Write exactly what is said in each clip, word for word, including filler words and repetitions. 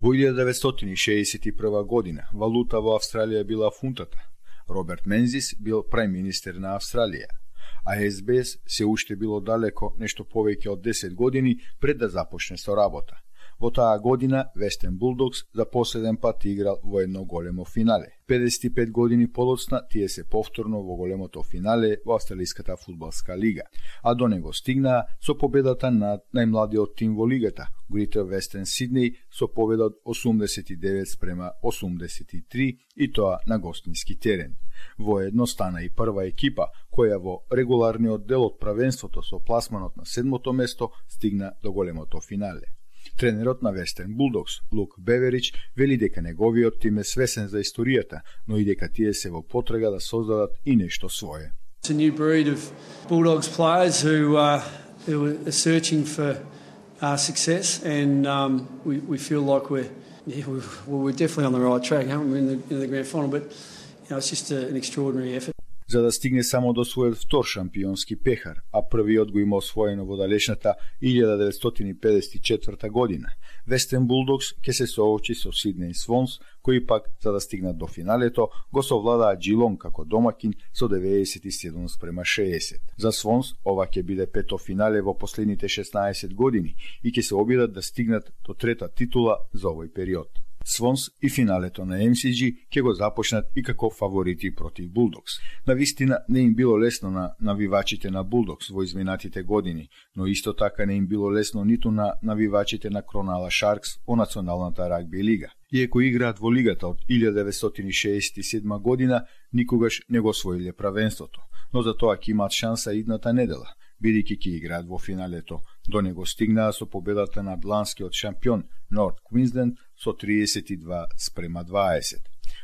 Во илјада деветстотини шеесет и прва година валута во Австралија била фунтата. Роберт Мензис бил прајм-министер на Австралија, а Ес Би Ес се уште било далеко нешто повеќе од десет години пред да започне со работа. Во таа година Вестен Булдогс за последен пат играл во едно големо финале. педесет и пет години подоцна тие се повторно во големото финале во Австралиската фудбалска лига, а до него стигнаа со победата над најмладиот тим во лигата, Greater Western Sydney, со победа од осумдесет и девет спрема осумдесет и три и тоа на гостински терен. Воедно стана и прва екипа која во регуларниот дел од правенството со пласманот на седмото место стигна до големото финале. Тренерот на Western Bulldogs, Лук Беверич, вели дека неговиот тим е свесен за историјата, но и дека тие се во потрага да создадат и нешто свое. It's a new breed of Bulldogs players who, uh, who are searching for uh, success, and um, we, we feel like we're, yeah, we're, well, we're definitely on the right track, haven't we, in the, in the grand final, but you know, it's just a, an extraordinary effort. За да стигне само до својот втор шампионски пехар, а првиот го има освоено во далечната илјада деветстотини педесет и четврта година. Western Bulldogs ќе се соочи со Сиднеј Свонс, кои пак, за да стигнат до финалето, го совладаа Джилонг како домакин со деветдесет и седум спрема шеесет. За Свонс ова ќе биде пето финале во последните шеснаесет години и ќе се обидат да стигнат до трета титула за овој период. Свонс и финалето на Ем Си Джи ќе го започнат и како фаворити против Булдогс. Навистина не им било лесно на навивачите на Булдогс во изминатите години, но исто така не им било лесно ниту на навивачите на Кронала Шаркс во Националната рагби лига. Иако играат во лигата од илјада деветстотини шеесет и седма година, никогаш не го освоиле правенството, но за тоа ќе имаат шанса идната недела, бидејќи ќе играат во финалето. До него стигнаа со победата над ланскиот шампион Норт Квинсленд со триесет и два спрема дваесет.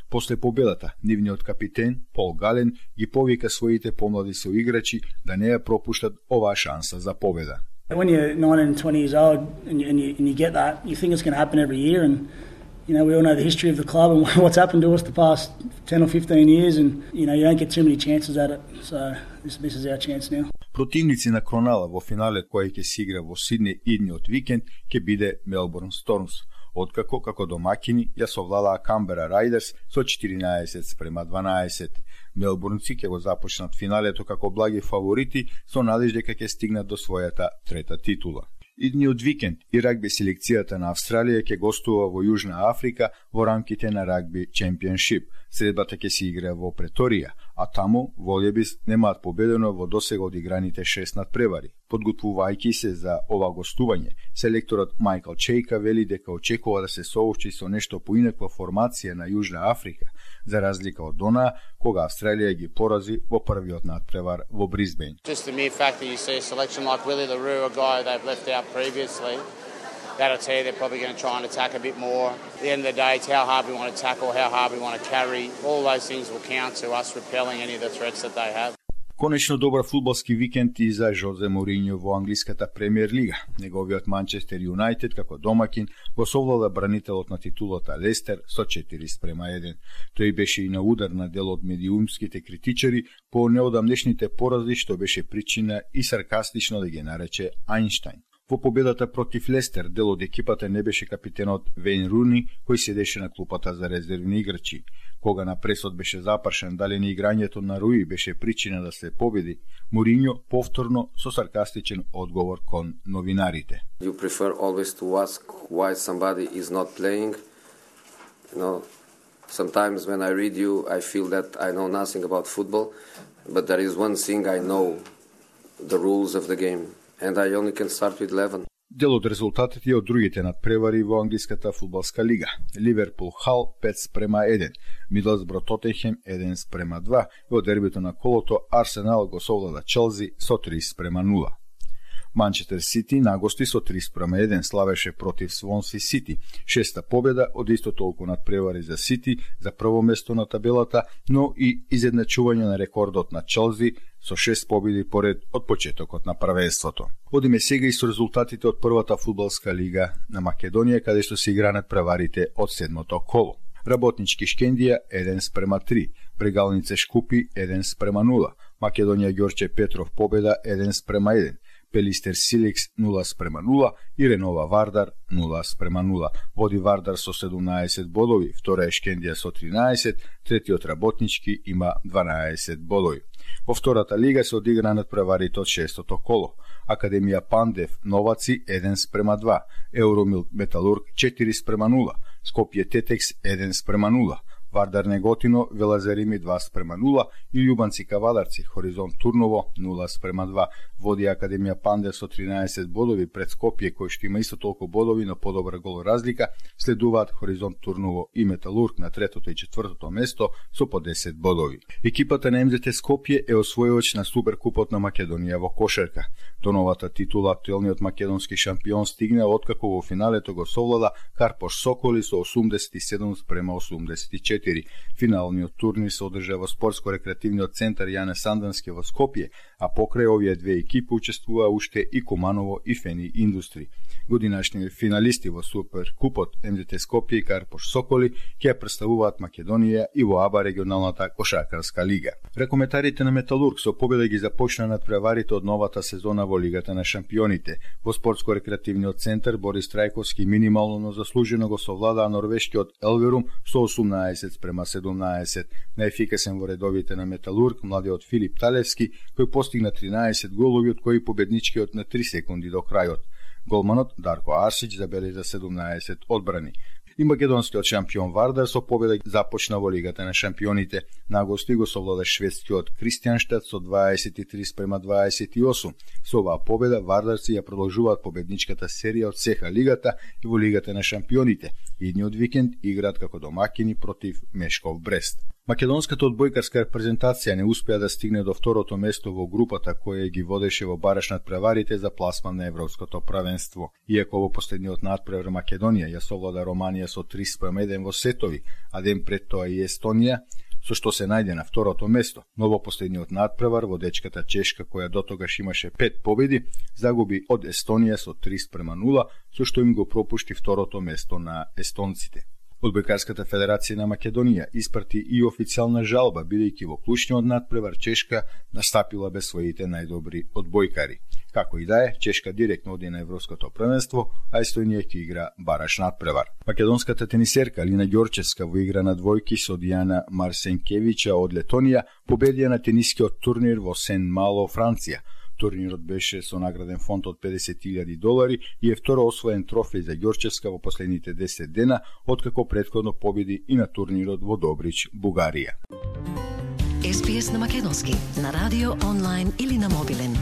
После победата, нивниот капитен Пол Гален ги повика своите помлади соиграчи да не ја пропуштат оваа шанса за победа. When you're nineteen and twenty years old and you, and you, and you get that, you think it's going to happen every year, and you know, we all know the history of the club and what's happened to us the past ten or fifteen years, and you know, you don't get too many chances at it. So this, this is our chance now. Противници на Кронала во финале кој ќе се игра во Сиднеј идниот викенд ќе биде Мелбурн Стормс, откако како домакини ја совладаа Камбера Рајдерс со четиринаесет спрема дванаесет. Мелбурнци ќе го започнат финалето како благи фаворити со надеж дека ќе стигнат до својата трета титула. Идниот викенд и рагби селекцијата на Австралија ќе гостува во Јужна Африка во рамките на рагби чемпионшип. Средбата ќе се игра во Преторија, а таму Волјебис немаат победено во досега одиграните шест надпревари. Подготвувајќи се за ова гостување, селекторот Мајкл Чејка вели дека очекува да се соочи со нешто поинаква формација на Јужна Африка, за разлика од онаа кога Австралија ги порази во првиот надпревар во Брисбејн. Just the mere fact that you see a selection like Willie LaRue, a guy they've left out previously, that'll tell you they're probably going to try and attack a bit more. At the end of the day, it's how hard we want to tackle, how hard we want to carry. All those things will count to us repelling any of the threats that they have. Конечно добар фудбалски викенд и за Жозе Моринјо во англиската премиер лига. Неговиот Манчестер Юнајтед како домакин го совлада бранителот на титулата Лестер со четири спрема еден. Тој беше и на удар на дел од медиумските критичари по неодамнешните порази што беше причина и саркастично да ги нарече Ајнштајн. Во победата против Лестер дел од екипата не беше капитенот Вейн Руни, кој седеше на клупата за резервни играчи. Кога на пресод беше запрашен дали не играњето на Руи беше причина да се победи, Моринјо повторно со саркастичен одговор кон новинарите. You prefer always to ask why somebody is not playing. You know, sometimes when I read you, I feel that I know nothing about football, but there is one thing I know, the rules of the game. And I only can start with eleven. Дел од резултатите од другите надпревари во англиската фудбалска лига. Ливерпул Хал пет спрема еден, Мидлсбро Тотенхем еден спрема два, и од дербито на колото Арсенал го совлада Челси со три спрема нула. Манчестер Сити нагости со три спрема еден славеше против Свонси Сити. Шеста победа од исто толку надпревари за Сити за прво место на табелата, но и изедначување на рекордот на Челси со шест победи поред од почетокот на првенството. Одиме сега и со резултатите од првата фудбалска лига на Македонија, каде што се игра надпреварите од седмото коло. Работнички Шкендија еден спрема три, Прегалнице Шкупи еден спрема нула, Македонија Ѓорче Петров победа еден спрема еден, Пелистер Силекс нула спрема нула и Ренова Вардар нула спрема нула. Води Вардар со седумнаесет бодови, втора е Шкендија со тринаесет, третиот Работнички има дванаесет бодови. Во втората лига се одигра надпреварите од шестото коло. Академија Пандев Новаци еден спрема два, Евромил Металург четири спрема нула, Скопје Тетекс еден спрема нула, Вардар Неготино Велазарими два спрема нула и Љубанци Кавадарци Хоризонт Турново нула спрема два. Води Академија Пандев со тринаесет бодови пред Скопје кој што има исто толку бодови, но подобра гол разлика. Следуваат Хоризонт Турново и Металург на третото и четвртото место со по десет бодови. Екипата на Ем Зе Те Скопје е освојувач на Суперкупот на Македонија во кошарка. До новата титула актуелниот македонски шампион стигна откако во финалето го совлада Карпош Соколи со осумдесет и седум спрема осумдесет и четири. Финалниот турнир се одржа во спортско-рекреативниот центар Јане Сандански во Скопје, а покрај овие две екипи учествуваа уште и Куманово и Фени Индустри. Годинашни финалисти во Суперкупот Ем Зе Те Скопје и Карпош Соколи ќе представуваат Македонија и во АБА регионалната кошаркарска лига. Рекометарите на Металург со победа ги започна надпреварите од новата сезона во Лигата на шампионите. Во спортско-рекреативниот центар Борис Трајковски минимално но заслужено го совладаа норвешкиот Елверум со осумнаесет спрема седумнаесет. Најефикасен во редовите на Металург младиот Филип Талевски кој постигна тринаесет голови, од кои победничкиот на три секунди до крајот. Голманот Дарко Арсич забележа седумнаесет одбрани. И македонскиот шампион Вардар со победа започна во Лигата на шампионите. На гости го совлада шведскиот Кристијанштад со дваесет и три спрема дваесет и осум. Со оваа победа Вардарци ја продолжуваат победничката серија од сеха лигата и во Лигата на шампионите. Идниот викенд играат како домакини против Мешков Брест. Македонската одбојкарска репрезентација не успеа да стигне до второто место во групата која ги водеше во бараш надпреварите за пласман на Европското правенство. Иако во последниот надпревар Македонија ја совлада Романија со три спрема еден во сетови, а ден пред тоа и Естонија, со што се најде на второто место. Но во последниот надпревар водечката Чешка, која дотогаш имаше пет победи, загуби од Естонија со три спрема нула, со што им го пропушти второто место на естонците. Одбојкарската федерација на Македонија испрати и официјална жалба, бидејќи во клучниот надпревар Чешка настапила без своите најдобри одбојкари. Како и да е, Чешка директно оди на Европското првенство, а Естонија ќе игра бараш надпревар. Македонската тенисерка Алина Ѓорчевска во игра на двојки со Дијана Марсенкевича од Летонија победија на тенискиот турнир во Сен-Мало, Франција. Турнирот беше со награден фонд од педесет илјади долари и е второ освоен трофеј за Ѓорчевска во последните десет дена, откако претходно победи и на турнирот во Добрич, Бугарија. Ес Би Ес на македонски, на радио, онлайн или на мобилен.